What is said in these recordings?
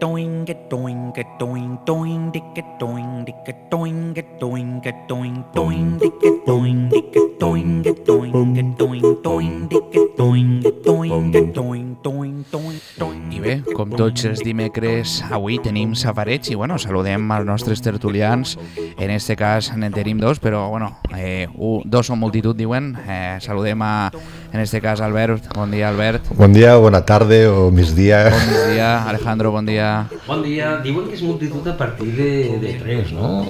doing a doing a doing doing dick a doing dick a doing a doing a doing doing dick a doing dick a doing a doing a doing doing dick a doing a doing a doing doing doing doing. I bé, com tots els dimecres, avui tenim safareig i bueno, saludem als nostres tertulians. En este cas en tenim dos, però bueno, dos són multitud, diuen. Saludem en este cas Albert. Bon dia, Albert. Bon dia, bona tarda o migdia. Bon migdia, Alejandro, bon dia. Bon dia. Diuen que és multitud a partir de tres, ¿no?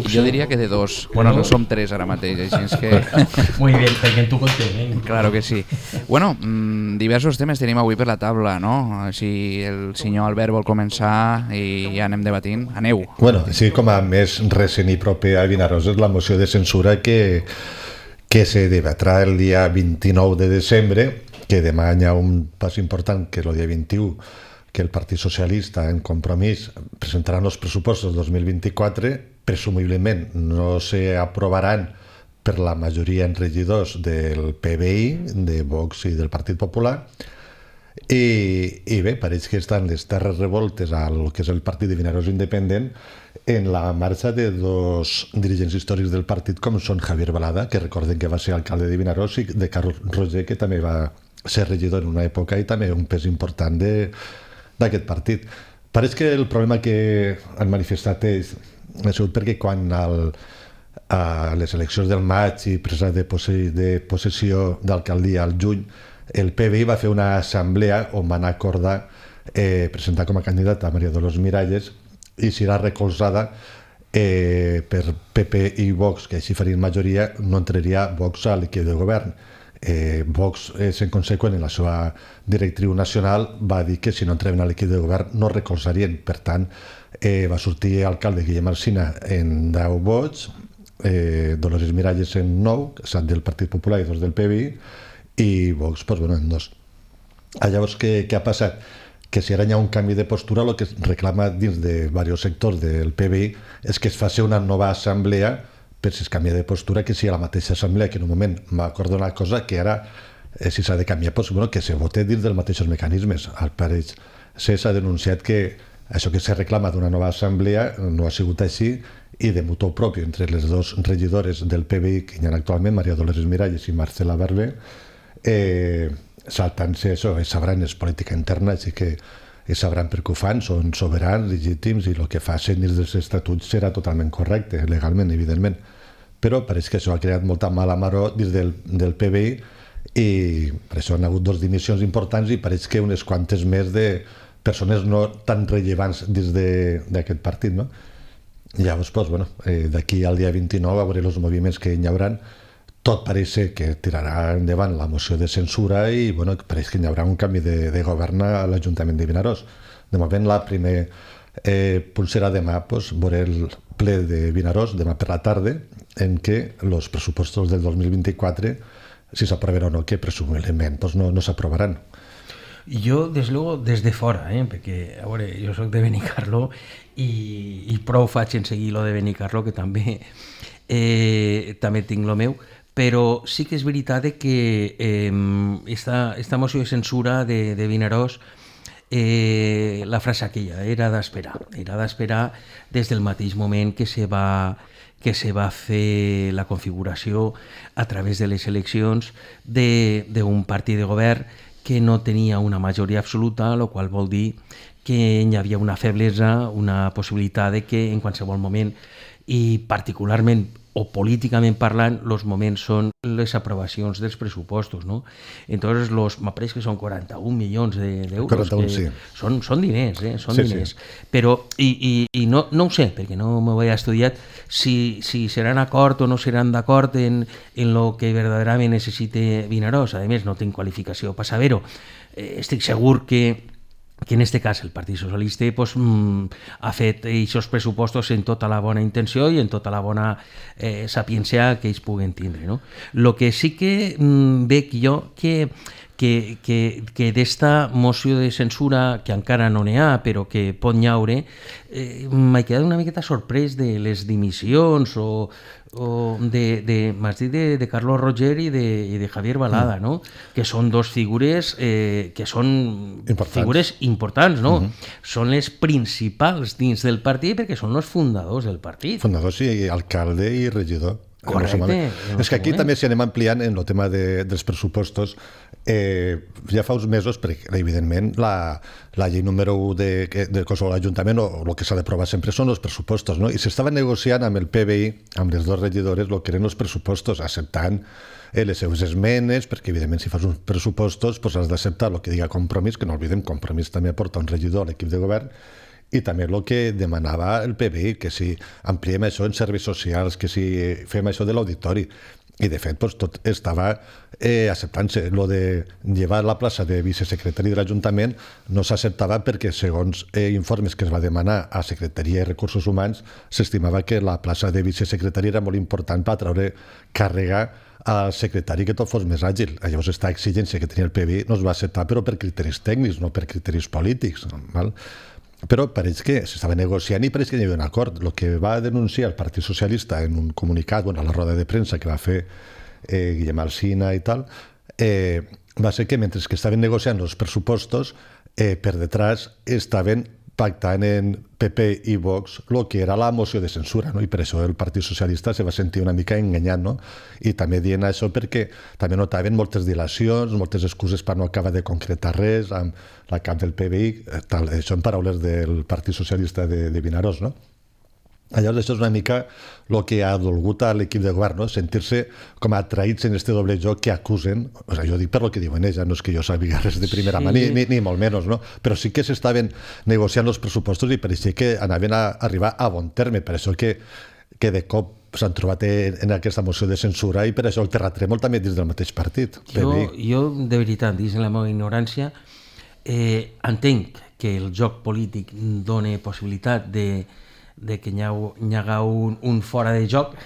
Jo diria que de dos. Bueno, no som tres ara mateix, així és que... Muy bien, perquè tu content. Claro que sí. Bueno, diversos temes tenim avui per la taula, no? Si el senyor Albert vol començar i ja anem debatint, aneu. Bueno, sí, com a més recent i proper a Vinaròs és la moció de censura que se debatrà el dia 29 de desembre, que demà hi ha un pas important, que és el dia 21, que el Partit Socialista en Compromís presentarà els pressupostos 2024, presumiblement no s'aprovaran per la majoria en regidors del PBI, de Vox i del Partit Popular, i bé, pareix que estan les terres revoltes al que és el Partit de Vinaròs Independent en la marxa de dos dirigents històrics del partit com són Javier Balada, que recorden que va ser alcalde de Vinaròs, i de Carlos Roger, que també va ser regidor en una època i també un pes important d'aquest partit. Pareix que el problema que han manifestat ells ha sigut perquè quan a les eleccions del maig i presa de possessió d'alcaldia al juny, el PBI va fer una assemblea on van acordar presentar com a candidata a Maria Dolors Miralles i si era recolzada per PP i Vox, que així farien majoria, no entraria Vox a l'equip de govern. Vox, en conseqüent, en la seva directriu nacional, va dir que si no entraven a l'equip de govern no recolzarien. Per tant, va sortir alcalde Guillem Alsina en 10 vots, Dolores Miralles en 9, 7 del Partit Popular i 2 del PBI, i Vox, doncs, bueno, en 2. Llavors, què ha passat? Que si ara hi ha un canvi de postura, el que es reclama dins de diversos sectors del PBI és que es faci una nova assemblea per si es canvia de postura, que sigui la mateixa assemblea que en un moment va acordar una cosa que ara, si s'ha de canviar, doncs, bueno, que se vote dins dels mateixos mecanismes. Al pareix s'ha denunciat que això que se reclama d'una nova assemblea no ha sigut així i de mutu propi entre les dos regidores del PBI que hi ha actualment, Maria Dolores Miralles i Marcela Barber, saltant-se això, sabran, és política interna, així que sabran per què ho fan, són soberans, legítims, i el que facin dins dels estatuts serà totalment correcte, legalment, evidentment. Però pareix que això ha creat molta mala maror dins del PBI i per això han hagut 2 dimissions importants i pareix que unes quantes més de persones no tan rellevants dins d'aquest partit, no? Llavors, doncs, bueno, d'aquí al dia 29 a veure els moviments que hi haurà. Tot pareix que tirarà endavant la moció de censura i bueno, pareix que hi haurà un canvi de govern a l'Ajuntament de Vinaròs. De moment, la primera punt serà demà, doncs, veure el ple de Vinaròs, demà per la tarda, en què els pressupostos del 2024, si s'aprovaran o no, que presumiblement doncs, no s'aprovaran. Jo, des luego, des de fora, perquè, a veure, jo soc de Benicarló i prou faig en seguir lo de Benicarló, que també tinc lo meu, però sí que és veritat que esta moció de censura de Vinaròs, la frase aquella era d'esperar des del mateix moment que se va fer la configuració a través de les eleccions d'un partit de govern que no tenia una majoria absoluta, el qual vol dir que hi havia una feblesa, una possibilitat de que en qualsevol moment, i particularment o políticament parlant, els moments són les aprovacions dels pressupostos, no? Entonces, m'apareix que són 41 milions d'euros. 41, sí. Són diners, són diners. Sí. Però, i no ho sé, perquè no m'ho he estudiat, si seran d'acord o no seran d'acord en lo que verdaderament necessite Vinaròs. A més, no tinc qualificació per saber-ho. Estic segur que en aquest cas el Partit Socialista ha fet aquests pressupostos en tota la bona intenció i en tota la bona sapiència que ells puguen tindre. El que sí que veig jo, que que d'esta moció de censura, que encara no n'hi ha, però que pot nyaure, m'he quedat una miqueta sorprès de les dimissions o m'has dit de Carlos Roger i de Javier Balada, no? Que són dos figures que són figures importants, no? Són les principals dins del partit perquè són els fundadors del partit. Fundadors i alcalde i regidor. Correcte. És que aquí també si anem ampliant en el tema dels pressupostos, ja fa uns mesos, perquè evidentment la llei número 1 de qualsevol ajuntament o el que s'ha d'aprovar sempre són els pressupostos, no? I s'estava negociant amb el PBI, amb les dues regidores, el que eren els pressupostos, acceptant les seves esmenes, perquè evidentment si fas uns pressupostos has d'acceptar el que diga Compromís, que no oblidem, Compromís també aporta un regidor a l'equip de govern, i també el que demanava el PBI, que si ampliem això en serveis socials, que si fem això de l'auditori. I de fet tot estava acceptant-se. Lo de llevar la plaça de vicesecretari de l'Ajuntament no s'acceptava perquè segons informes que es va demanar a Secretaria de Recursos Humans s'estimava que la plaça de vicesecretari era molt important per treure càrrega al secretari que tot fos més àgil. Llavors aquesta exigència que tenia el PBI no es va acceptar però per criteris tècnics, no per criteris polítics. Val? Però pareix que s'estava negociant i pareix que hi havia un acord. El que va denunciar el Partit Socialista en un comunicat, a la roda de premsa que va fer Guillem Alsina i tal, va ser que mentre que estaven negociant els pressupostos, per detrás estaven pactant en PP i Vox el que era la moció de censura, no? I per això el Partit Socialista se va sentir una mica enganyat, no? I també dient això perquè també notaven moltes dilacions, moltes excuses per no acabar de concretar res amb la cap del PBI, tal, això en paraules del Partit Socialista de Vinaròs, no? Llavors, això és una mica el que ha dolgut a l'equip de govern, no? Sentir-se com atraïts en este doble joc que acusen, o sigui, jo dic per lo que diuen ells, no és que jo sàpiga res de primera mà, ni molt menys, no? Però sí que s'estaven negociant els pressupostos i pareixia que anaven a arribar a bon terme, per això que de cop s'han trobat en aquesta moció de censura i per això el terratrèmol també dins del mateix partit. Jo de veritat, dins la meva ignorància, entenc que el joc polític dona possibilitat de que hi haga un fora de joc,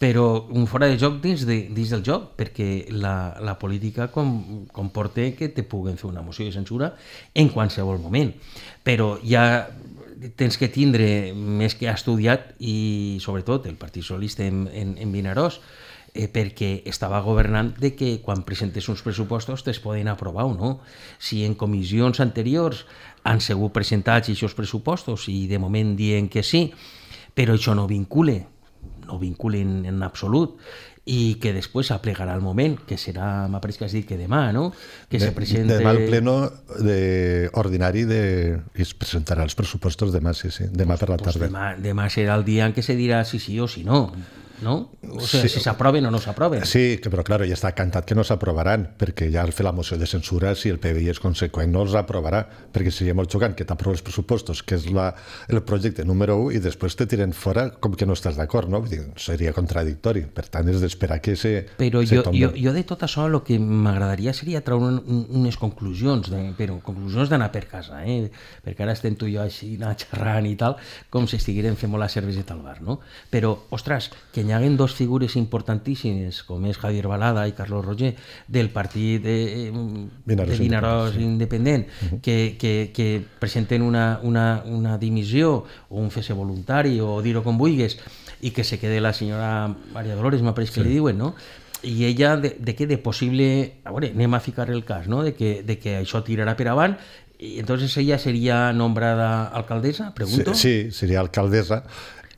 però un fora de joc dins del joc, perquè la política comporta que te puguen fer una moció de censura en qualsevol moment. Però ja tens que tindre més que estudiat, i sobretot el Partit Socialista en Vinaròs, perquè estava governant de que quan presentes uns pressupostos te'ls poden aprovar o no. Si en comissions anteriors han sigut presentats aquests pressupostos i de moment diuen que sí, però això no vincula en absolut, i que després s'aplegarà el moment, que serà, m'apareix que has dit que demà, no? Que se presente... Demà el pleno ordinari i es presentarà els pressupostos demà, sí, demà per la tarda. Demà serà el dia en què se dirà si sí o si no, no? O sigui, si s'aproven o no s'aproven. Sí, però clar, ja està cantat que no s'aprovaran, perquè ja al fer la moció de censura, si el PBI és conseqüent, no els aprovarà, perquè seria molt xocant que t'aprovi els pressupostos, que és el projecte número 1, i després te tiren fora com que no estàs d'acord, no? Seria contradictori. Per tant, és d'esperar que se tombi. Jo de tot això el que m'agradaria seria treure unes conclusions, però conclusions d'anar per casa, perquè ara estem tu i jo així xerrant i tal, com si estiguérem fent molt la cerveseta al bar, no? Però, ostres, que hi haguen dos figures importantíssimes, com és Javier Balada i Carlos Roger, del partit de Vinaròs independent, que presenten una dimissió o un fese voluntari, o dir-ho com vulguis, i que se quede la senyora Maria Dolores, m'apareix que li diuen, no? I ella, de què? De possible... A veure, anem a ficar el cas, no? De que això tirarà per avant, i entonces ella seria nombrada alcaldesa, pregunto? Sí, seria alcaldesa.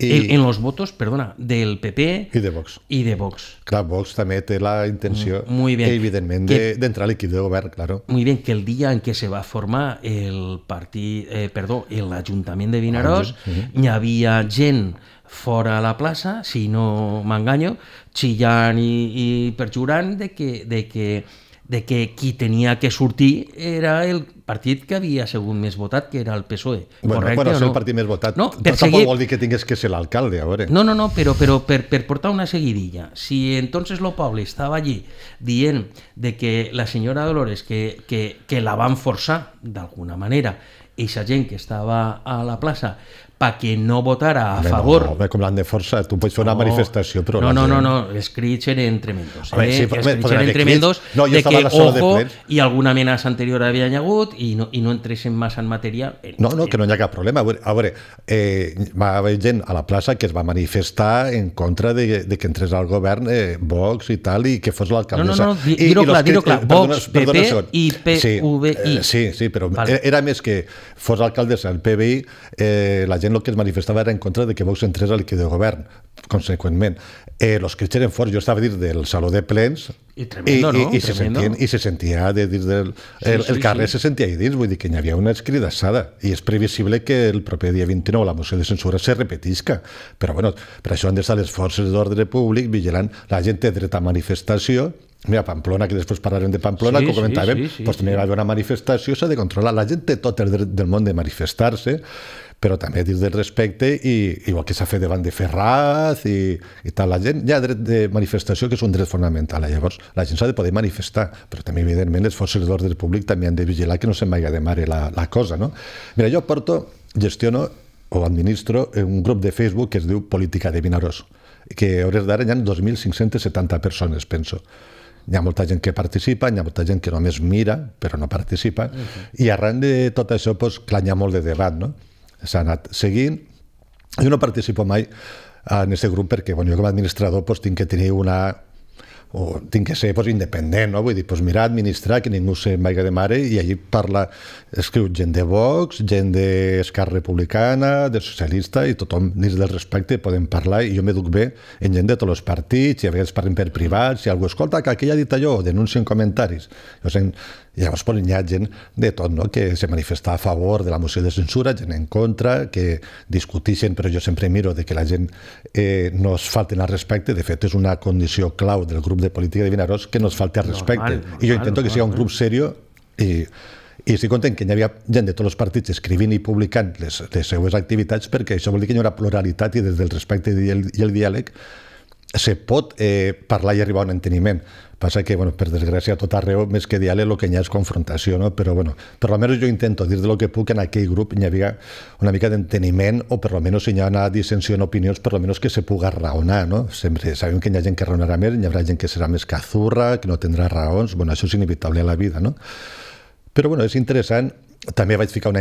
En los votos, perdona, del PP i de Vox. Clar, Vox també té la intenció, evidentment, d'entrar a l'equip de govern, claro. Muy bien, que el dia en què se va formar l'Ajuntament de Vinaròs, hi havia gent fora a la plaça, si no m'enganyo, xillant i perjurant de que qui tenia que sortir era el partit que havia sigut més votat, que era el PSOE. Bueno, ser el partit més votat tampoc vol dir que tingués que ser l'alcalde, a veure. No, però per portar una seguidilla. Si entonces el poble estava allí dient de que la senyora Dolores, que la van forçar d'alguna manera, eixa gent que estava a la plaça perquè no votara a favor... No, com l'han de força, tu pots fer una manifestació, però... No, els crits eren tremendos. Sí, els crits eren tremendos de que, ojo, i alguna amenaça anterior havia hagut i no entressin massa en matèria... No, que no hi ha cap problema. A veure, va haver gent a la plaça que es va manifestar en contra de que entrés al govern Vox i tal, i que fos l'alcaldessa. No, dir-ho clar, Vox, PP i PVI. Sí, però era més que fos l'alcaldessa el PVI, la gent el que es manifestava era en contra de que Vox entrés a l'equip de govern, conseqüentment. Els crits eren forts, jo estava dins del saló de plens i se sentia dins del carrer, se sentia ahí dins, vull dir que hi havia una escridassada, i és previsible que el proper dia 29 la moció de censura se repetisca, però bueno, per això han d'estar les forces d'ordre públic vigilant. La gent té dret a manifestació. Mira, Pamplona, que després parlarem de Pamplona, que ho comentàvem, doncs també va haver una manifestació, s'ha de controlar. La gent té tot el dret del món de manifestar-se, però també dins del respecte, i igual que s'ha fet davant de Ferraz i tal, la gent, hi ha dret de manifestació, que és un dret fonamental. Llavors, la gent s'ha de poder manifestar, però també, evidentment, les forces d'ordre públic també han de vigilar que no se'n vagi de mare la cosa, no? Mira, jo gestiono o administro un grup de Facebook que es diu Política de Vinaròs, que a hores d'ara hi ha 2.570 persones, penso. Hi ha molta gent que participa, hi ha molta gent que només mira, però no participa, i arran de tot això, doncs, clar, hi ha molt de debat, no? S'ha anat seguint. Jo no participo mai en aquest grup perquè, bueno, jo com a administrador tinc que tenir tinc que ser independent, no? Vull dir, mira, administrar, que ningú se'n vagi de mare, i allí escriu gent de Vox, gent d'Esquerra Republicana, de Socialista, i tothom dins del respecte podem parlar, i jo m'educ bé en gent de tots els partits, i a vegades parlem per privat, si algú escolta que aquell ha dit allò, denuncien comentaris. Llavors hi ha gent de tot, no? Que se manifesta a favor de la moció de censura, gent en contra, que discuteixen, però jo sempre miro de que la gent no es falten al respecte. De fet, és una condició clau del grup de Política de Vinaròs que no es falti al respecte. I jo intento que sigui un grup seriós, i estic content que hi havia gent de tots els partits escrivint i publicant les seues activitats, perquè això vol dir que hi haurà pluralitat, i des del respecte i el diàleg se pot parlar i arribar a un enteniment. Passa que, per desgràcia, a tot arreu, més que diàleg, el que hi ha és confrontació, no? Però, per almenys jo intento dir del que puc en aquell grup hi havia una mica d'enteniment, o per almenys si hi ha una dissensió en opinions, per almenys que se puga raonar, no? Sempre sabem que hi ha gent que raonarà més, hi haurà gent que serà més cazurra, que no tindrà raons, això és inevitable a la vida, no? Però, és interessant. També vaig ficar una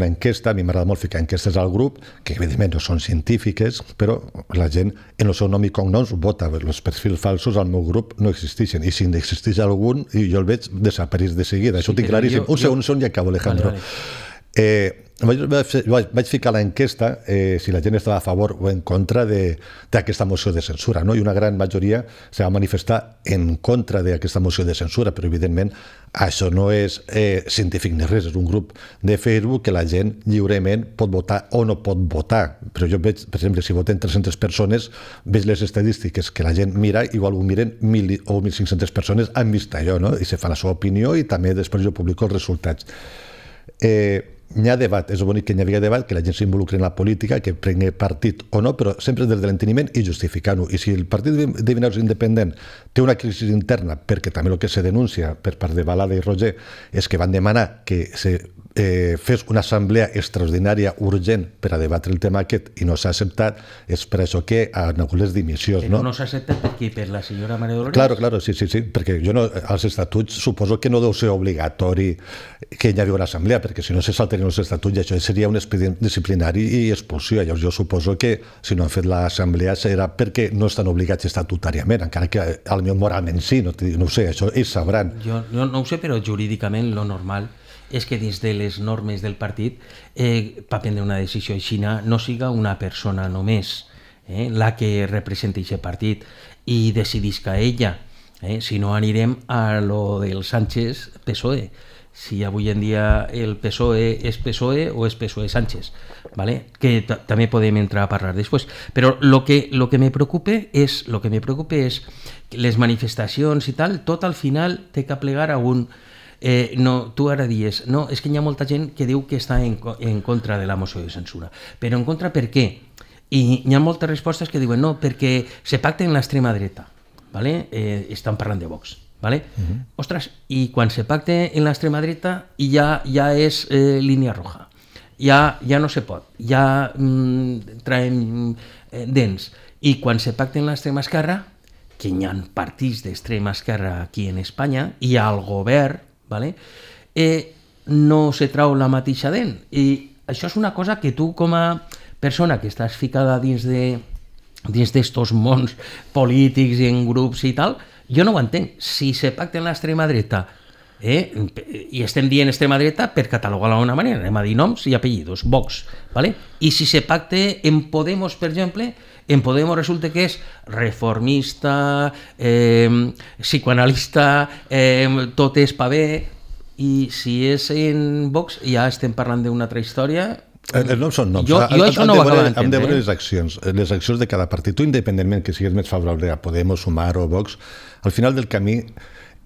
enquesta, a mi m'agrada molt ficar enquestes al grup, que evidentment no són científiques, però la gent en el seu nom i cognoms vota. Els perfils falsos al meu grup no existeixen, i si n'existeix algun, jo el veig desapareix de seguida. Això ho tinc claríssim. Un segon i acabo, Alejandro. Vaig ficar a l'enquesta si la gent estava a favor o en contra d'aquesta moció de censura, no? I una gran majoria se va manifestar en contra d'aquesta moció de censura, però evidentment això no és científic ni res, és un grup de Facebook que la gent lliurement pot votar o no pot votar. Però jo veig, per exemple, si voten 300 persones, veig les estadístiques que la gent mira, igual ho miren 1.000 o 1.500 persones, han vist allò, no? I se fa la seva opinió, i també després jo publico els resultats. Hi ha debat, és bonic que hi havia debat, que la gent s'involucri en la política, que prengui partit o no, però sempre des de l'enteniment i justificant-ho. I si el partit de Vinaròs independent té una crisi interna, perquè també el que se denuncia per part de Balada i Roger és que van demanar que se fes una assemblea extraordinària urgent per a debatre el tema aquest, i no s'ha acceptat, és per això que han hagut les dimissions. Però no s'ha acceptat per qui? Per la senyora Maria Dolores? Claro, sí, perquè jo als estatuts suposo que no deu ser obligatori que hi hagi una assemblea, perquè si no se saltarien els estatuts, i això seria un expedient disciplinari i expulsió. Llavors jo suposo que si no han fet l'assemblea serà perquè no estan obligats estatutàriament, encara que potser moralment sí, no ho sé, això ells sabran. Jo no ho sé, però jurídicament lo normal és que dins de les normes del partit per prendre una decisió així no siga una persona només la que representa aquest partit i decidisca ella, si no anirem a lo del Sánchez-PSOE, si avui en dia el PSOE és PSOE o és PSOE-Sánchez, ¿vale? Que també podem entrar a parlar després. Però lo que me preocupa és les manifestacions i tal, tot al final té que plegar a un... no, tu ara dius, no, és que hi ha molta gent que diu que està en contra de la moció de censura. Però en contra per què? I hi ha moltes respostes que diuen no, perquè se pacta en l'extrema dreta, ¿vale? Estan parlant de Vox. ¿vale? Ostres, y quan se pacte en l'extrema dreta ja és línia roja. Ja no se pot, ja traem dents. I quan se pacta en l'extrema esquerra, que hi ha partits d'extrema esquerra aquí en Espanya, i al govern, ¿vale? No se trau la mateixa dent. I això és una cosa que tu, com a persona que estàs ficada dins d'estos mons polítics i en grups i tal, jo no ho entenc. Si se pacta en l'extrema dreta, i estem dient extrema dreta per catalogar-la d'una manera, anem a dir noms i apellidos, Vox, ¿vale? I si se pacta en Podemos, per exemple, en Podemos resulta que és reformista, psicoanalista, tot és pa bé, i si és en Vox ja estem parlant d'una altra història. Els noms són noms. Jo això no ho acabo d'entendre. Hem de veure les accions de cada partit. Tu, independentment que siguis més favorable a Podemos, Sumar o Vox, al final del camí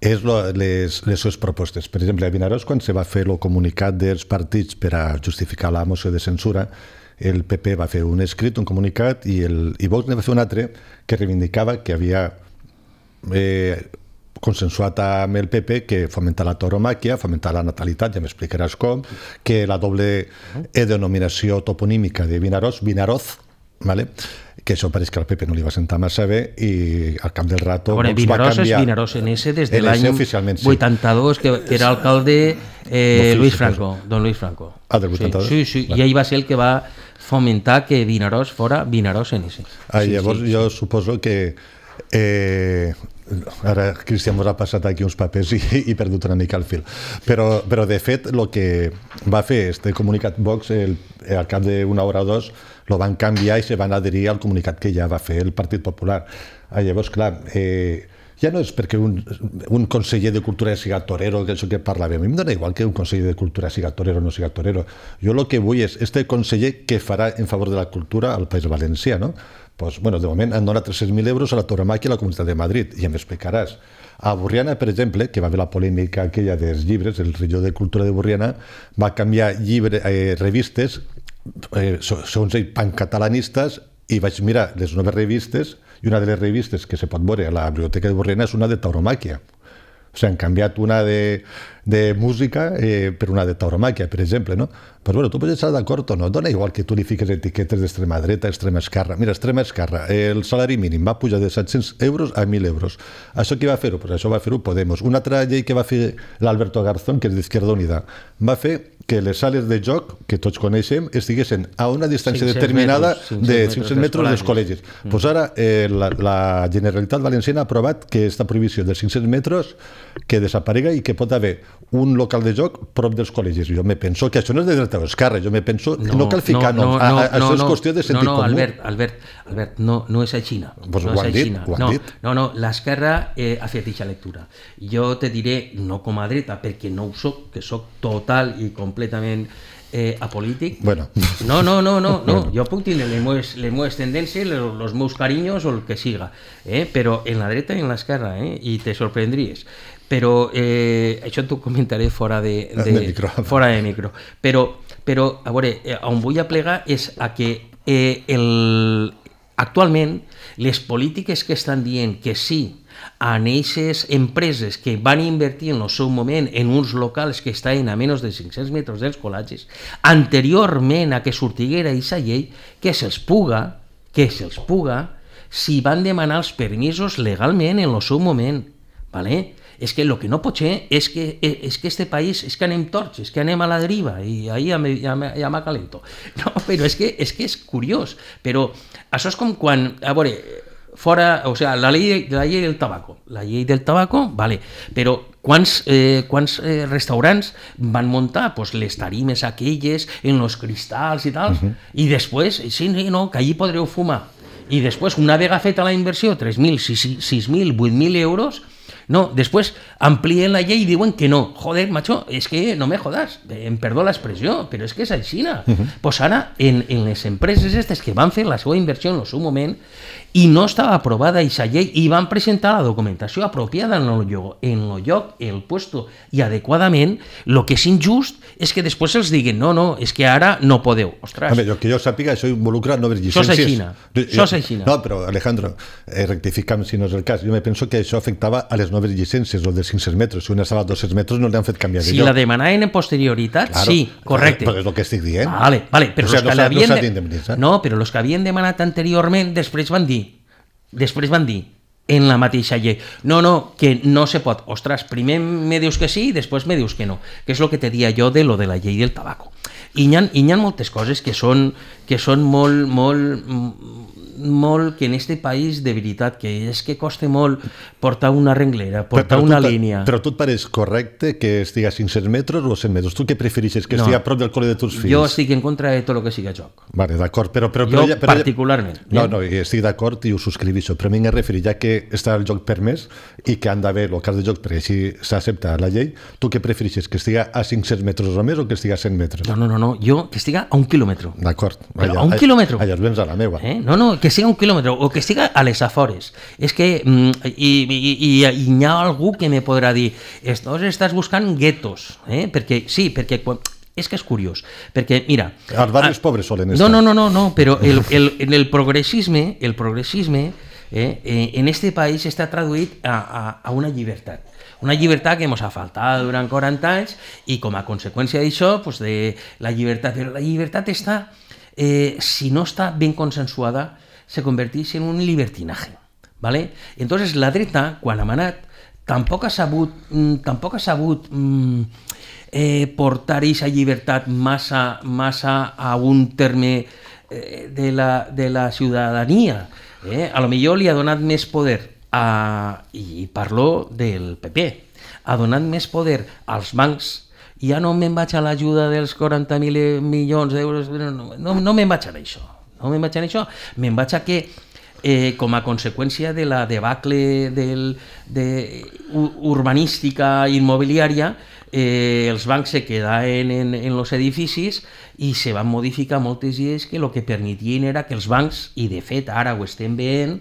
és les seves propostes. Per exemple, a Vinaròs, quan se va fer el comunicat dels partits per a justificar la moció de censura, el PP va fer un escrit, un comunicat, i Vox ne va fer un altre que reivindicava que havia consensuat amb el PP que fomentar la tauromàquia, fomentar la natalitat, ja m'explicaràs com, que la doble denominació toponímica de Vinaròs, Vinaroz, ¿vale? Que això pareix que al PP no li va sentar massa bé i al cap del rato Vox va canviar. Vinaròs és Vinaròs NS des de l'any 82, que era alcalde Luis Franco, don Luis Franco. Ah, del 82? Sí, i ell va ser el que va fomentar que Vinaròs fora Vinaròs NS. Llavors jo suposo que ara Cristian mos ha passat aquí uns papers i he perdut una mica el fil, però de fet el que va fer este comunicat Vox al cap d'una hora o dos lo van canviar i se van adherir al comunicat que ja va fer el Partit Popular. Llavors, clar, ja no és perquè un conseller de cultura siga torero, que això que parlàvem. A mi em dona igual que un conseller de cultura siga torero o no siga torero. Jo el que vull és este conseller que farà en favor de la cultura al País Valencià, no? Pues, bueno, de moment han donat 300.000 euros a la tauromàquia a la Comunitat de Madrid, i em explicaràs. A Borriana, per exemple, que va haver la polèmica aquella dels llibres, el regidor de Cultura de Borriana va canviar revistes, segons ell, pancatalanistes, i vaig mirar les noves revistes, i una de les revistes que se pot veure a la biblioteca de Borriana és una de tauromàquia. O sigui, han canviat una de música per una de tauromàquia, per exemple, no? Però bueno, tu pots estar d'acord o no, dona igual que tu li fiques etiquetes d'extrema dreta, extrema esquerra. Mira, extrema esquerra, el salari mínim va pujar de 700 euros a 1.000 euros. Això qui va fer-ho? Pues això va fer-ho Podemos. Una altra llei que va fer l'Alberto Garzón, que és d'Izquierda Unida, va fer que les sales de joc, que tots coneixem, estiguessin a una distància determinada de 500 metres dels col·legis. Pues ara la Generalitat Valenciana ha aprovat que aquesta prohibició dels 500 metres que desaparega i que pot haver un local de joc prop dels col·legis. Jo me penso que això no és de dreta o esquerra, jo me penso que no cal ficar noms. Això és qüestió de sentit comú. Albert, no és així. Pues ho han dit. No, l'esquerra ha fet aquesta lectura. Jo te diré, no com a dreta, perquè no ho soc, que soc total i completament apolític. Bueno. No, jo puc tenir les meves tendències, els meus carinyos o el que siga, però en la dreta i en l'esquerra, i te sorprendries. Però això t'ho comentaré fora de micro. Però a veure, on vull aplegar és a que actualment les polítiques que estan dient que sí a aquestes empreses que van invertir en el seu moment en uns locals que estaven a menys de 500 metres dels col·legis, anteriorment a que sortiguera aquesta llei, que se'ls puga, si van demanar els permisos legalment en el seu moment, ¿vale? És que el que no pot ser és que este país és que anem torts, és que anem a la deriva i ahí ja m'acalento. No, però és que és curiós. Però això és com quan, a veure, fora, o sea, la llei del tabaco. La llei del tabaco, vale, però quants restaurants van muntar pues, les tarimes aquelles en los cristals i tal, i després, sí, no, que allí podreu fumar. I després, una vegada feta la inversió, 3.000, 6.000, 8.000 euros, no, després amplien la llei i diuen que no. Joder, macho, és que no me jodas, em perdó l'expressió, però és que és així. Pues ara, en les empreses aquestes que van fer la seva inversió en el seu moment i no estava aprovada aquesta llei i van presentar la documentació apropiada en el lloc, el puesto i adequadament, el que és injust és que després els diguin no, és que ara no podeu. Ostres. Home, que jo sàpiga, això involucra noves llicències. Això és així. No, però Alejandro, rectifica'm si no és el cas. Jo me penso que això afectava a les noves llicències o de 500 metres, si una estava a 200 metres no li han fet canviar de Si lloc. la demanaven en posterioritat, Claro, sí, correcte. Però és el que estic dient. Vale, però O sigui, los que no l'havien s'ha d'indemnitzar. No, però els que havien demanat anteriorment després van dir en la mateixa llei, no, que no se pot. Ostres, primer me dius que sí i després me dius que no, que és el que te dia jo de lo de la llei del tabaco. I hi ha moltes coses que són molt que en este país, de veritat, que és que costa molt portar una renglera, portar una línia. Però tu et pareix correcte que estigui a 500 metres o a 100 metres? Tu què preferixes? Que estigui a prop del col·le de tus fills? Jo estic en contra de tot el que sigui joc. Vale, d'acord, però particularment. No, estic d'acord i ho subscriveixo, però a mi m'he referit, ja que està el joc permès i que han d'haver el cas de joc perquè així s'accepta la llei, tu què preferixes? Que estigui a 500 metres o més o que estigui a 100 metres? No, jo que estigui a 1 quilòmetre. D'acord. Però a 1 quilòmetre? Allà vens a la meva. No, que sigui a 1 quilòmetre o que estigui a les afores. És que hi ha algú que me podrà dir estàs buscant guetos, perquè és que és curiós, perquè mira... Els barris pobres solen estar. No, però el progressisme en este país està traduït a una llibertat. Una llibertat que ens ha faltat durant 40 anys i com a conseqüència d'això, de la llibertat. Però la llibertat està, si no està ben consensuada, se converteix en un libertinaje. ¿Vale? Entonces la dreta, quan ha manat, tampoc ha sabut portar aquesta llibertat massa a un terme de la ciutadania. A lo millor li ha donat més poder i parlo del PP, ha donat més poder als bancs. Ja no me'n vaig a l'ajuda dels 40.000 milions d'euros, no me'n vaig a això. Me'n vaig a que, com a conseqüència de la debacle urbanística immobiliària, els bancs se quedaven en els edificis i se van modificar moltes lleis que el que permetien era que els bancs, i de fet ara ho estem veient,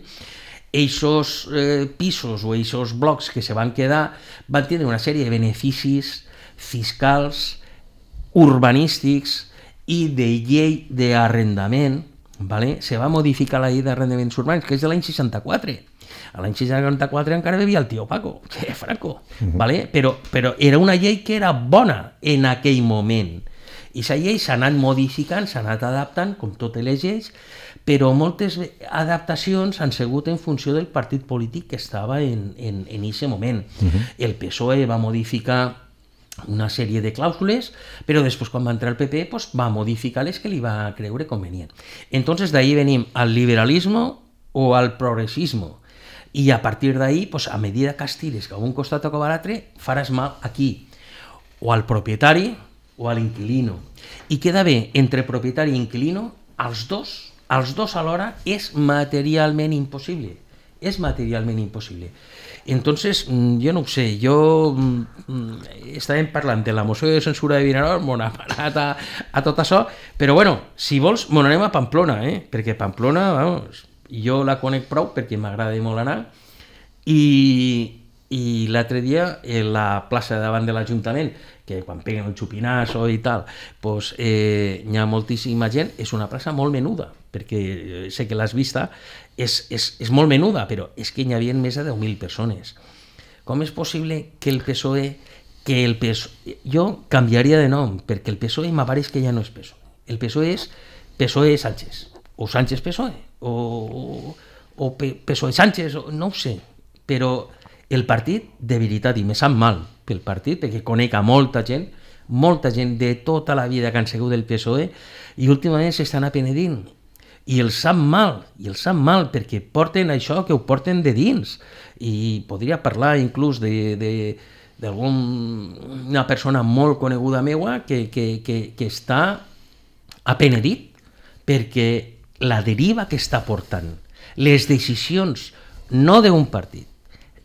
eixos pisos o eixos blocs que se van quedar van tenir una sèrie de beneficis fiscals, urbanístics i de llei d'arrendament. Se va modificar la llei d'arrendaments urbans, que és de l'any 64. A l'any 64 encara vivia el tio Paco, que és Franco. Però era una llei que era bona en aquell moment. I aquesta llei s'ha anat modificant, s'ha anat adaptant, com totes les lleis, però moltes adaptacions han sigut en funció del partit polític que estava en aquest moment. El PSOE va modificar una sèrie de clàusules, però després quan va entrar el PP va modificar les que li va creure convenient. Entonces d'ahí venim al liberalismo o al progressismo, i a partir d'ahí, a medida que estires cap a un costat o cap a l'altre, faràs mal aquí, o al propietari o a l'inquilino. I queda bé, entre propietari i inquilino, els dos alhora és materialment impossible. És materialment impossible. Entonces, jo no ho sé, estàvem parlant de la moció de censura de Vinaròs, m'ho ha parat a tot això, però bueno, si vols, m'ho anem a Pamplona, perquè Pamplona, vamos, jo la conec prou perquè m'agrada molt anar, i l'altre dia, en la plaça davant de l'Ajuntament, que quan peguen el xupinazo i tal, hi ha moltíssima gent, és una plaça molt menuda, perquè sé que l'has vista, és molt menuda, però és que hi havia més de 10.000 persones. Com és possible que el PSOE... Jo canviaria de nom, perquè el PSOE m'apareix que ja no és PSOE. El PSOE és PSOE Sánchez, o Sánchez PSOE, o PSOE Sánchez, no ho sé, però el partit, de veritat, i me sap mal pel partit, perquè conec a molta gent de tota la vida que han sigut del PSOE, i últimament s'estan apenedint. I els sap mal, perquè porten això que ho porten de dins. I podria parlar inclús d'alguna persona molt coneguda meua que està apenedit perquè la deriva que està portant, les decisions no d'un partit,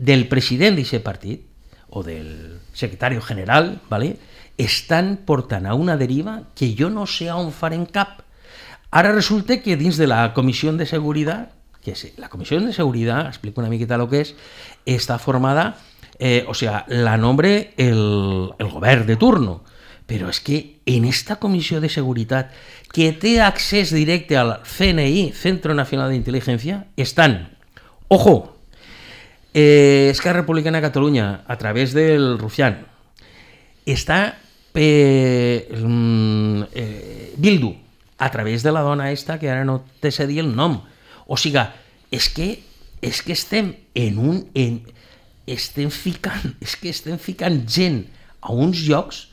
del president d'aquest partit o del secretari general, estan portant a una deriva que jo no sé on farem cap. Ara resulta que dins de la Comissió de Seguretat, la Comissió de Seguretat, explico una miqueta el que és, està formada, la nombre el govern de turno, però és que en esta Comissió de Seguretat, que té accés directe al CNI, Centro Nacional de Inteligencia, estan, ojo, Esquerra Republicana de Catalunya, a través del Rufián, està Bildu, a través de la dona esta, que ara no te sé dir el nom. O sigui, és que estem estem ficant gent a uns llocs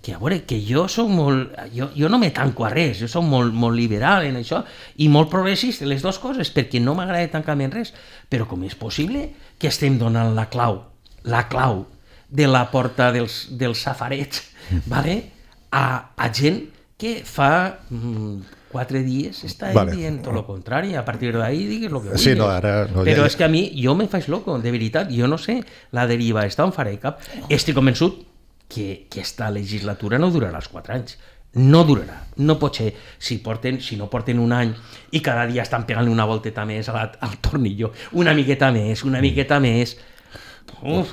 que, a veure, que jo soc molt... Jo no me tanco a res, jo soc molt liberal en això i molt progressista, les dues coses, perquè no m'agrada tancar-me en res. Però com és possible que estem donant la clau de la porta dels safarets, vale? a gent que fa 4 dies està dient tot el contrari, a partir d'ahí digues el que vulguis. Sí, no, ara, no, però és que a mi, jo me faig loco, de veritat, jo no sé la deriva, està on faré cap. Estic convençut que aquesta legislatura no durarà els 4 anys. No durarà, no pot ser. Si no porten un any i cada dia estan pegant una volteta més al tornillo, una miqueta més.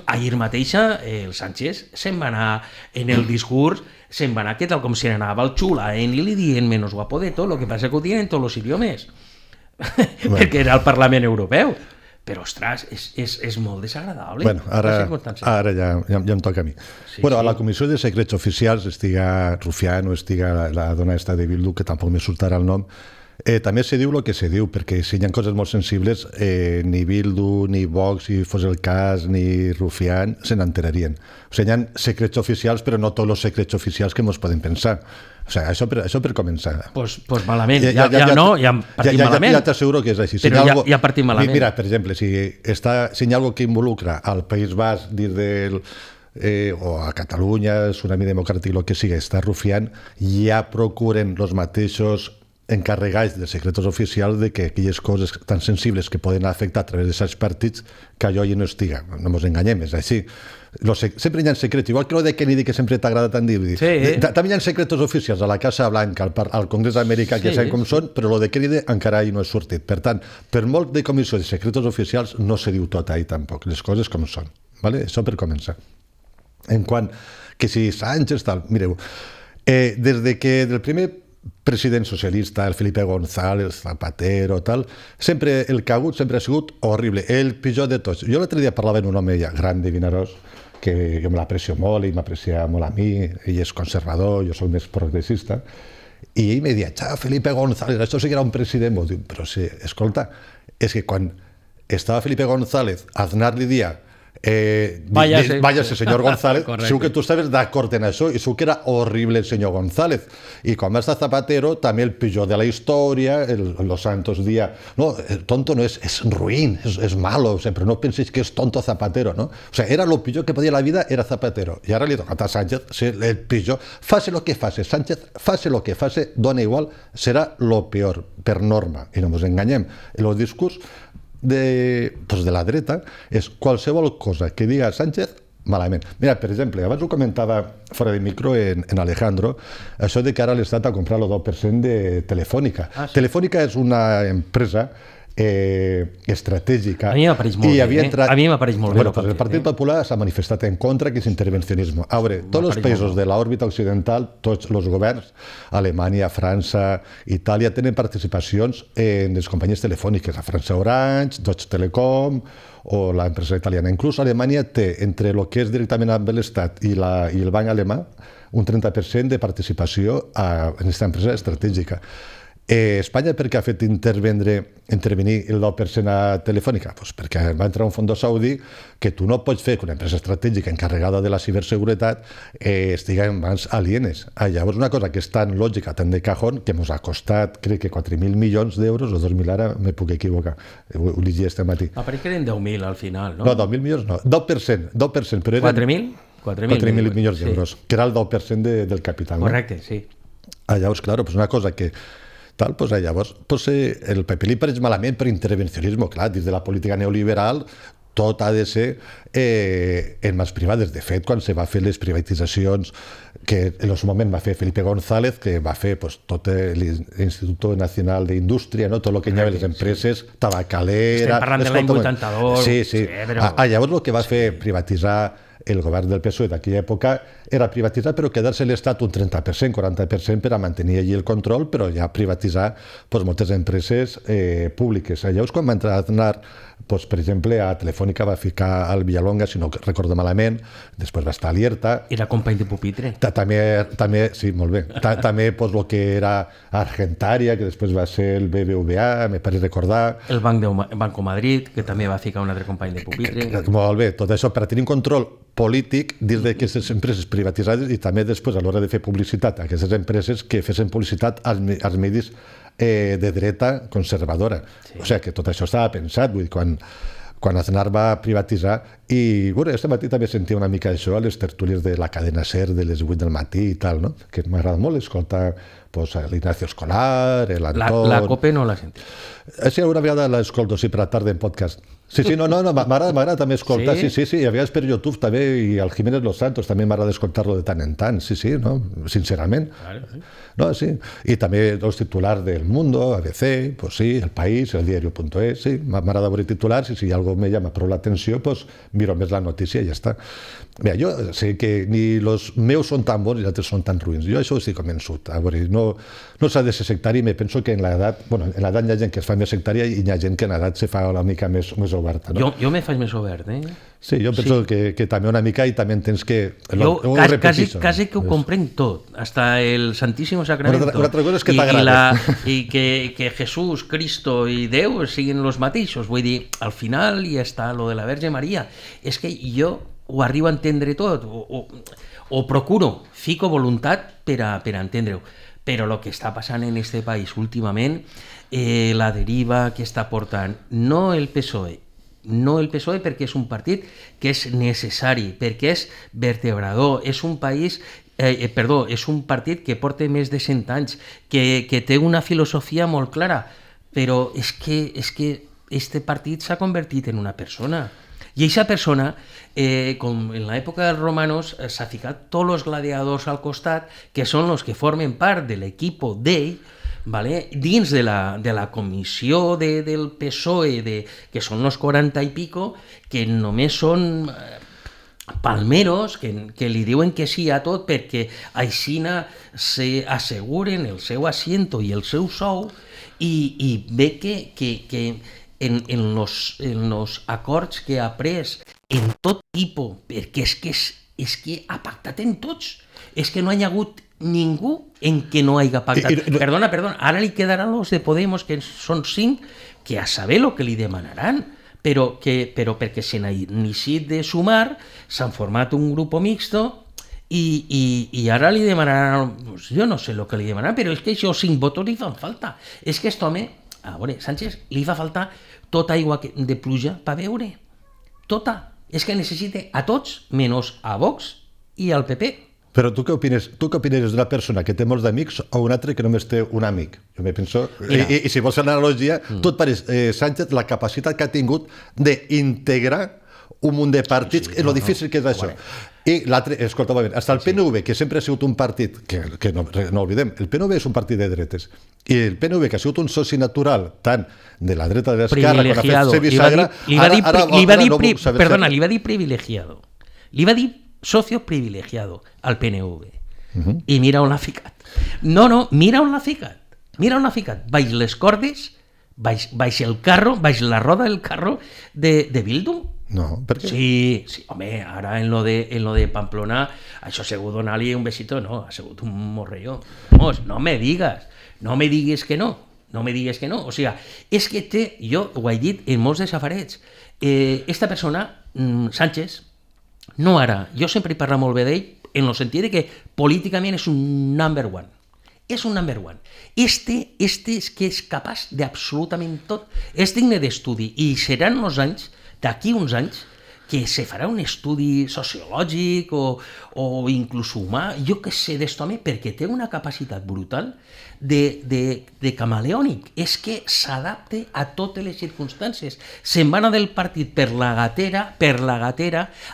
Ahir mateixa el Sánchez se'n va anar en el discurs, se'n va anar que tal com se n'anava al xula, i li dient menos guapo de tot, lo que passa que ho tienen tots els idiomes, perquè era el Parlament Europeu. Però, ostres, és molt desagradable. Bueno, ara ja em toca a mi. Sí, bueno, a la Comissió de Secrets Oficials, estiga Rufián o estiga la dona esta de Bildu, que tampoc me surtarà el nom, també se diu el que se diu, perquè si hi ha coses molt sensibles, ni Bildu, ni Vox, si fos el cas, ni Rufián, se n'enterarien. O sigui, hi ha secrets oficials, però no tots els secrets oficials que ens podem pensar. O sigui, això per començar. Pues malament, ja partim malament. Ja t'asseguro que és així. Però ja partim malament. Mira, per exemple, si hi ha alguna que involucra al País Basc dins del... o a Catalunya, Tsunami Democràtic, el que sigui, està Rufián, ja procuren els mateixos encarregats de secretos oficials de que aquelles coses tan sensibles que poden afectar a través d'aquests partits, que allò ja no estiga. No ens enganyem, és així. Sempre hi ha secrets, igual que el de Kennedy, que sempre t'agrada tant dir. També hi ha secretos oficials a la Casa Blanca, al Congrés d'Amèrica, que saben com són, però el de Kennedy encara no ha sortit. Per tant, per molt de comissió de secretos oficials, no se diu tot ahí tampoc, les coses com són. Això per començar. En quant que si Sánchez, tal, mireu, des de que del primer president socialista, el Felipe González, Zapatero, tal, sempre el cagut sempre ha sigut horrible, el pitjor de tots. Jo l'altre dia parlava amb un home ja gran de Vinaròs, que jo me l'aprecio molt i m'aprecia molt a mi, ell és conservador, jo soc més progressista, i ell me deia, Felipe González, això sí que era un president. Dic, però sí, escolta, és que quan estava Felipe González, Aznar li dia váyase señor González, segur que tu estaves d'acord en això i segur que era horrible el senyor González, i quan va estar Zapatero també el pitjor de la història, los santos días, no, el tonto no és ruïn, és malo, però no pensis que és tonto Zapatero, no? O sigui, era lo pitjor que podia la vida, era Zapatero, i ara li toca a Sánchez ser el pitjor. Fase lo que fase, Sánchez, fase lo que fase, dona igual, serà lo peor, per norma, i no ens enganyem. El discurs de la dreta és qualsevol cosa que diga Sánchez malament. Mira, per exemple, abans ho comentava fora de micro en Alejandro, això de que ara l'Estat ha comprat el 2% de Telefònica. Telefònica és una empresa estratègica. A mi m'apareix molt bé. El Partit Popular s'ha manifestat en contra d'aquest intervencionisme. A veure, tots els països de l'òrbita occidental, tots els governs, Alemanya, França, Itàlia, tenen participacions en les companyies telefòniques. A França Orange, Deutsche Telekom o l'empresa italiana. Inclús Alemanya té, entre el que és directament amb l'Estat i el banc alemà, un 30% de participació en aquesta empresa estratègica. Espanya per què ha fet intervenir el 9% a Telefònica? Pues perquè va entrar un fons saudí que tu no pots fer que una empresa estratègica encarregada de la ciberseguretat estigui en mans alienes. Llavors una cosa que és tan lògica, tan de cajón, que ens ha costat, crec que 4.000 milions d'euros, o 2.000 ara, me puc equivocar, ho llegia este matí. Però que eren 10.000 al final, no? No, 2.000 milions no, 2%, però eren 4.000 milions d'euros, que era el 10% del capital. Correcte, sí. Llavors, clar, una cosa que llavors el PP li pareix malament per intervencionisme, clar, dins de la política neoliberal tot ha de ser en mans privades. De fet, quan se va fer les privatitzacions que en el seu moment va fer Felipe González, que va fer tot l'Institut Nacional d'Indústria, tot el que hi havia les empreses, tabacalera... Estem parlant de l'any 82. Sí. Llavors el que va fer privatitzar el govern del PSOE d'aquella època era privatitzar però quedar-se l'Estat un 30%, 40% per a mantenir allí el control, però ja privatitzar moltes empreses públiques. Llavors, quan va anar, per exemple, a Telefònica va ficar al Villalonga, si no recordo malament, després va estar a Lierta. Era company de pupitre. També, sí, molt bé. També el que era Argentaria, que després va ser el BBVA, me pareix recordar. El Banco Madrid, que també va ficar un altre company de pupitre. Molt bé, tot això per tenir un control polític dins d'aquestes empreses privatitzades i també després a l'hora de fer publicitat a aquestes empreses que fessin publicitat als medis de dreta conservadora. Sí. O sigui que tot això estava pensat, vull dir, quan Aznar va privatitzar, i bueno, aquest matí també sentia una mica això a les tertúlies de la cadena SER de les 8 del matí i tal, no? Que m'agrada molt escoltar l'Ignacio Escolar, l'Anton... La COPE no la senti. Sí, una vegada l'escolto, sí, per la tarda en podcast. Sí, no, m'agrada també escoltar, sí, i a vegades per YouTube també, i al Jiménez Los Santos també m'agrada escoltar-lo de tant en tant, sí, no? Sincerament. Claro, sí. No, sí. I també els titulars del Mundo, ABC, pues sí, El País, El Diario.es, sí, m'agrada veure titulars i si algo me llama prou l'atenció, pues miro més la notícia i ja està. Mira, jo sé que ni els meus són tan bons i els altres són tan ruïns. Jo això estic convençut. A veure, no s'ha de ser sectari, me penso que en l'edat hi ha gent que es fa més sectària i hi ha gent que en l'edat se fa una mica més oberta. No? Jo me faig més obert, Sí, jo penso que també una mica i també tens que... Jo quasi que ho comprenc tot, hasta el Santísimo Sacramento. Una altra cosa és que t'agrada. I que Jesús, Cristo i Déu siguin els mateixos. Vull dir, al final hi està lo de la Verge Maria. És que jo ho arribo a entendre tot, o procuro, fico voluntat per a entendre-ho. Però el que està passant en este país últimament, la deriva que està portant, no el PSOE perquè és un partit que és necessari, perquè és vertebrador, és un partit que porta més de 100 anys, que té una filosofia molt clara, però és que este partit s'ha convertit en una persona. I aquesta persona, com en l'època dels romanos, s'ha ficat tots els gladiadors al costat, que són els que formen part de l'equip d'ell, ¿vale? Dins de la comissió del PSOE, que són els 40 i pico, que només són palmeros, que li diuen que sí a tot perquè aixina s'asseguren el seu asiento i el seu sou, i ve que en els acords que ha pres en tot tipus, perquè és que ha pactat en tots, és que no hi ha hagut ningú en què no hagi pactat. Perdona, ara li quedaran els de Podemos, que són 5, que a saber el que li demanaran, però perquè se n'ha iniciat de sumar, s'han format un grup mixto i ara li demanaran, jo no sé el que li demanaran, però és que això 5 vots li fan falta. És que aquest home, a veure, Sánchez, li fa falta tota aigua de pluja per beure. Tota. És que necessita a tots, menys a Vox i al PP. Però tu què opines? Tu què opines d'una persona que té molts d'amics o un altre que només té un amic? Jo me penso... I si vols fer l'analogia, tot pareix Sánchez la capacitat que ha tingut d'integrar un munt de partits en lo difícil que és això. I l'altre, escolta, hasta el PNV, que sempre ha sigut un partit, que no oblidem, el PNV és un partit de dretes, i el PNV, que ha sigut un soci natural tant de la dreta de l'esquerra, quan ha fet Sevisagra, perdona, li va dir privilegiado. Li va dir socio privilegiado al PNV. I mira on l'ha ficat. No, mira on l'ha ficat. Baix les cordes, baix el carro, baix la roda del carro de Bildu. No, per què? Sí, home, ara en lo de Pamplona, això ha sigut donar-li un besito, no, ha sigut un morrelló. No me digues que no. O sigui, és que jo ho he dit en molts desafarets, esta persona, Sánchez, no ara, jo sempre he parlat molt bé d'ell, en el sentit que políticament és un number one. És un number one. Este és que és capaç d'absolutament tot. És digne d'estudi i seran d'aquí uns anys, que se farà un estudi sociològic o inclús humà, jo què sé d'est home, perquè té una capacitat brutal de camaleònic. És que s'adapta a totes les circumstàncies. Se'n va anar del partit per la gatera,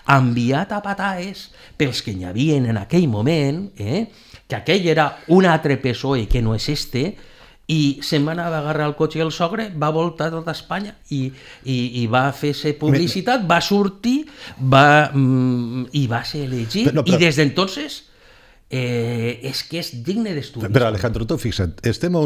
enviat a pataes pels que hi havia en aquell moment, que aquell era un altre PSOE que no és este, i se'n va anar a agarrar el cotxe i el sogre, va voltar tota Espanya i va fer-se publicitat, va sortir i va ser elegit, i des d'entonces és que és digne d'estudi. Però Alejandro, tu fixa't, estem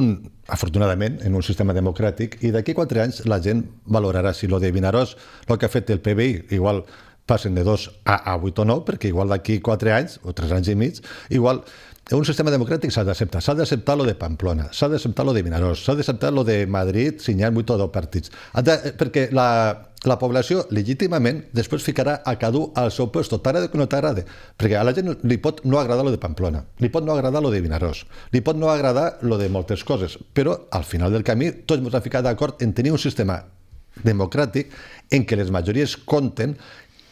afortunadament en un sistema democràtic i d'aquí 4 anys la gent valorarà si lo de Vinaròs, el que ha fet el PBI, igual passen de 2 a 8 o 9, perquè igual d'aquí 4 anys o 3 anys i mig, igual un sistema democràtic s'ha d'acceptar lo de Pamplona, s'ha d'acceptar lo de Vinaròs, s'ha d'acceptar lo de Madrid si n'hi ha 8 o 10 partits, perquè la població legítimament després ficarà a cada un al seu lloc, t'agrada o no t'agrada, perquè a la gent li pot no agradar lo de Pamplona, li pot no agradar lo de Vinaròs, li pot no agradar lo de moltes coses, però al final del camí tots ens hem ficat d'acord en tenir un sistema democràtic en què les majories compten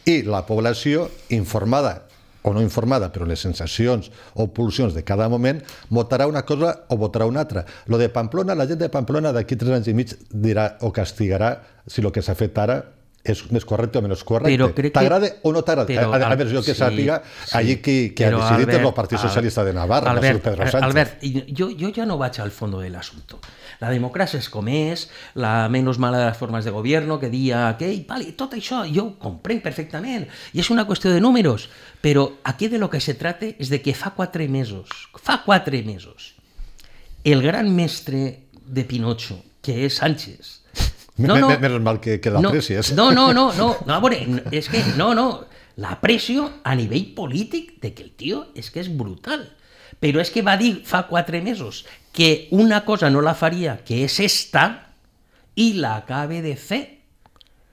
i la població informada o no informada, però les sensacions o pulsions de cada moment votarà una cosa o votarà una altra. Lo de Pamplona, la gent de Pamplona d'aquí 3 anys i mig dirà o castigarà si el que s'ha fet ara és més correcte o menys correcte. T'agrada o no t'agrada? A veure, jo que sàpiga, allí qui ha decidit és el Partit Socialista de Navarra, no és Pedro Sánchez. Albert, jo ja no vaig al fondo del asunto. La democràcia és com és, la menys mala de les formes de govern, que dia aquell, vale, tot això jo ho comprenc perfectament, i és una qüestió de números, però aquí de lo que se trata és de que fa 4 mesos, el gran mestre de Pinocho, que és Sánchez, Menos mal que l'aprecies. No, a veure, és que, l'aprecio a nivell polític de que el tio és que és brutal. Però és que va dir fa 4 mesos que una cosa no la faria, que és esta, i la acabe de fer.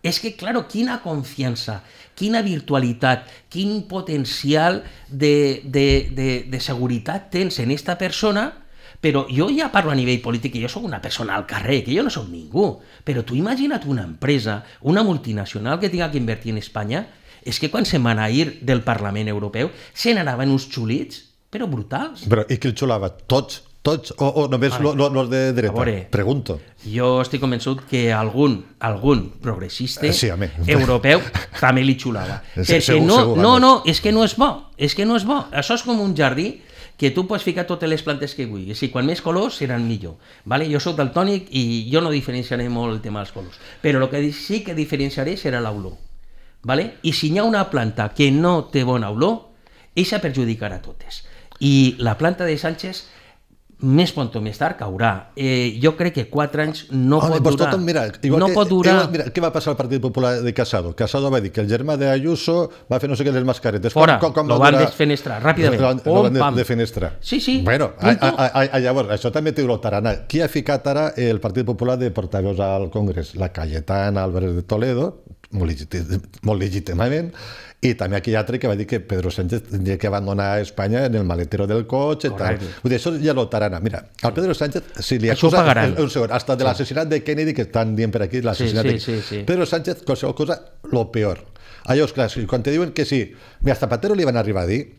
És que, claro, quina confiança, quina virtualitat, quin potencial de seguretat tens en esta persona. Però jo ja parlo a nivell polític, que jo sóc una persona al carrer, que jo no sóc ningú, però tu imagina't una empresa, una multinacional que tinga que invertir en Espanya, és que quan se'n van a ir del Parlament Europeu se n'anaven uns xulits, però brutals. Però i qui el xulava? Tots? O només los de dreta? Pregunto. Jo estic convençut que algun progressista europeu també li xulava. Perquè no, és que no és bo. Això és com un jardí que tu pots ficar totes les plantes que vulguis, i quan més colors seran millor. Jo soc daltònic i jo no diferenciaré molt el tema dels colors, però el que sí que diferenciaré serà l'olor. I si hi ha una planta que no té bona olor, eixa perjudicarà totes. I la planta de Sánchez més pont o més tard caurà. Jo crec que 4 anys no pot durar. No pot durar. Mira, què va passar al Partit Popular de Casado? Casado va dir que el germà d'Ayuso va fer no sé què les mascaretes. Fora, lo van desfenestrar, ràpidament. Lo van defenestrar. Sí. Bueno, llavors, això també té lo tarana. Qui ha ficat ara el Partit Popular de portaveus al Congrés? La Cayetana Álvarez de Toledo, molt legítimament, i també aquell altre que va dir que Pedro Sánchez tindria que abandonar Espanya en el maletero del cotxe. Vull dir, això ja lo tarana. Mira, al Pedro Sánchez, si li acusa un segon, hasta de l'assassinat de Kennedy, que estan dient per aquí l'assassinat de Kennedy. Pedro Sánchez, qualsevol cosa, lo peor. Allò, clar, quan te diuen que sí, mira, a Zapatero li van arribar a dir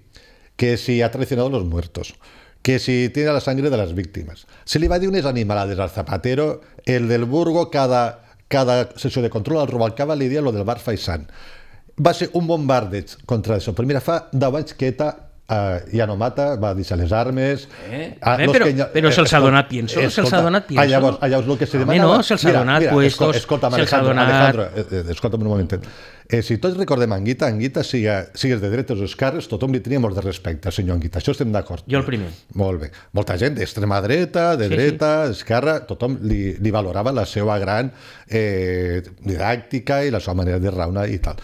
que si ha traicionado a los muertos, que si tiene la sangre de las víctimas. Se li va dir unes animalades al Zapatero, el del Burgo, cada sessió de control al Rubalcaba li dia lo del bar Faisán. Va ser un bombardeig contra això. Però mira, fa 10 anys que ETA ja no mata, va deixar les armes... Però se'ls ha donat pienso, Llavors, el que se demanava... No, se'ls ha donat puestos, se'ls ha donat... Escolta'm un momentet. Si tots recordem Anguita, sigues de dretes o esquerres, tothom li tenia molt de respecte al senyor Anguita. Això estem d'acord. Jo el primer. Molt bé. Molta gent d'extrema dreta, de dreta, esquerra, tothom li valorava la seva gran didàctica i la seva manera de raonar i tal.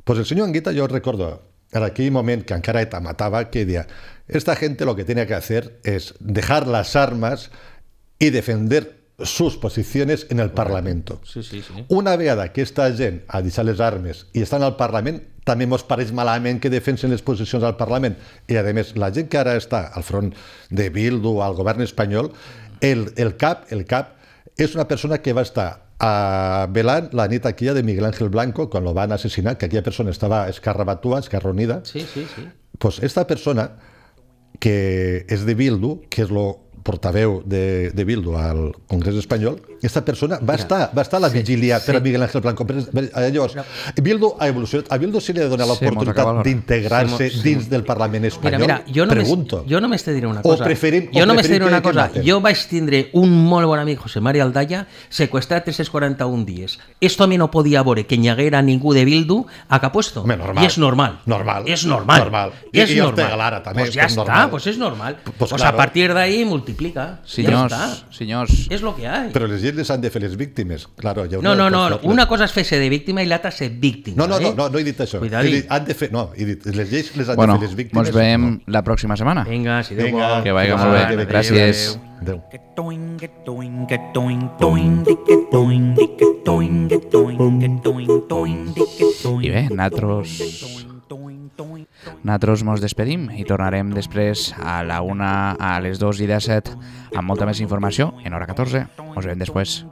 Pues el senyor Anguita, yo recuerdo en aquel momento que encara ETA mataba, que decía, esta gente lo que tenía que hacer es dejar las armas y defender sus posiciones en el Parlamento. Sí. Una vegada que esta gent ha deixat les armes i estan al Parlament, també mos pareix malament que defensen les posicions al Parlament. I, a més, la gent que ara està al front de Bildu o al govern espanyol, el cap és una persona que va estar velant la nit aquella de Miguel Ángel Blanco quan lo van assassinar, que aquella persona estava escarrabatua, escarronida. Sí. Pues esta persona que és de Bildu, que és lo portaveu de Bildu al Congrés espanyol, aquesta persona va estar a la vigília per a Miguel Ángel Blanco. Llavors, Bildu ha evolucionat. A Bildu se li ha de donar l'oportunitat d'integrar-se dins del Parlament espanyol? Mira, jo només te diré una cosa. Jo vaig tindre un molt bon amic, José María Aldaya, secuestrat 341 dies. Esto a mi no podia veure que n'hi haguera ningú de Bildu a Capuesto. I és normal. És normal. I Ortega Lara també. Pues ja està, pues és normal. Pues a partir d'ahí multiplica. Senyors. És lo que hay. Però les lleis han de fer les víctimes. Claro, no. Una cosa és fer-se de víctima i l'altra ser víctima. No he dit això. Han de fer... No, he dit, les lleis les han de fer les víctimes. Ens veiem la pròxima setmana. Vinga, si Déu vol. Que vagi molt bé. Gràcies. Adéu. I bé, nosaltres mos despedim i tornarem després a les 2:17 amb molta més informació en hora 14. Ens veiem després.